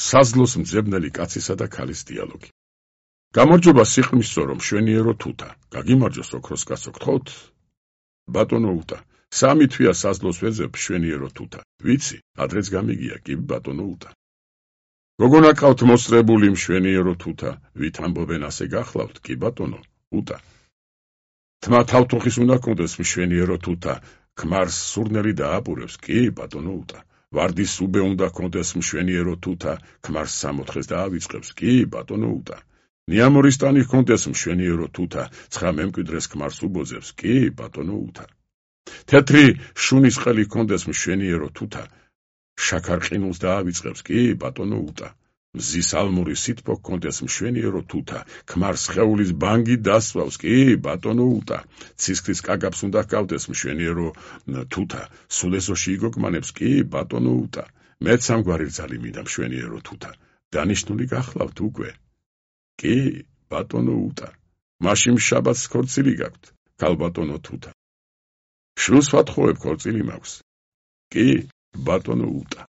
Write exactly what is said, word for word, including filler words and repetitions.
საზლოს მძებნელი კაცისა და ქალის დიალოგი. გამარჯობა სიყრმისწო რომ მშვენიერო თუთა, გაგიმარჯოს ოქროს კაცო გთხოვთ? ბატონო უტა, სამი თვია საზლოს ვეძებ მშვენიერო თუთა, ვიცი, ადრეც გამიგია კი ბატონო უტა. გოგონა ყავთ მოსწრებული მშვენიერო თუთა, ვით ამბობენ ასე გახლავთ კი ბატონო უტა. თმა თავთუხის უნდა კონდეს მშვენიერო თუთა, ქმარს სურნელი დააპურებს კი ბატონო უტა. ვარდის უბე უნდა კონდეს მშვენიერო თუთა, ქმარს სამოთხეს დაავიწყებს კი ბატონო უტა. ნიამორის ტანი კონდეს მშვენიერო თუთა, ცხა მემკვიდრეს ქმარს უბოძებს კი ბატონო უტა. თეთრი შუნის ყელი კონდეს მშვენიერო თუთა, შაქარყინულს დაავიწყებს კი ბატონო უტა. მზის ალმური სითბო კონდეს მშვენიერო თუთა, ქმარს სხეულის ბანგი დასვავს კი ბატონო უტა. ცისქრის კაგაბს უნდა ჰგავდეს მშვენიერო თუთა, სულ ეზოში იგოგმანებს კი ბატონო უტა. მეც სამგვარი რძალი მინდა მშვენიერო თუთა, დანიშნული გახლავთ უკვე კი ბატონო უტა. მაშინ შაბათს ქორწილი გაქვთ ქალბატონო თუთა. შვილს ვათხოვებ ქორწილი მაქვს კი ბატონო უტა.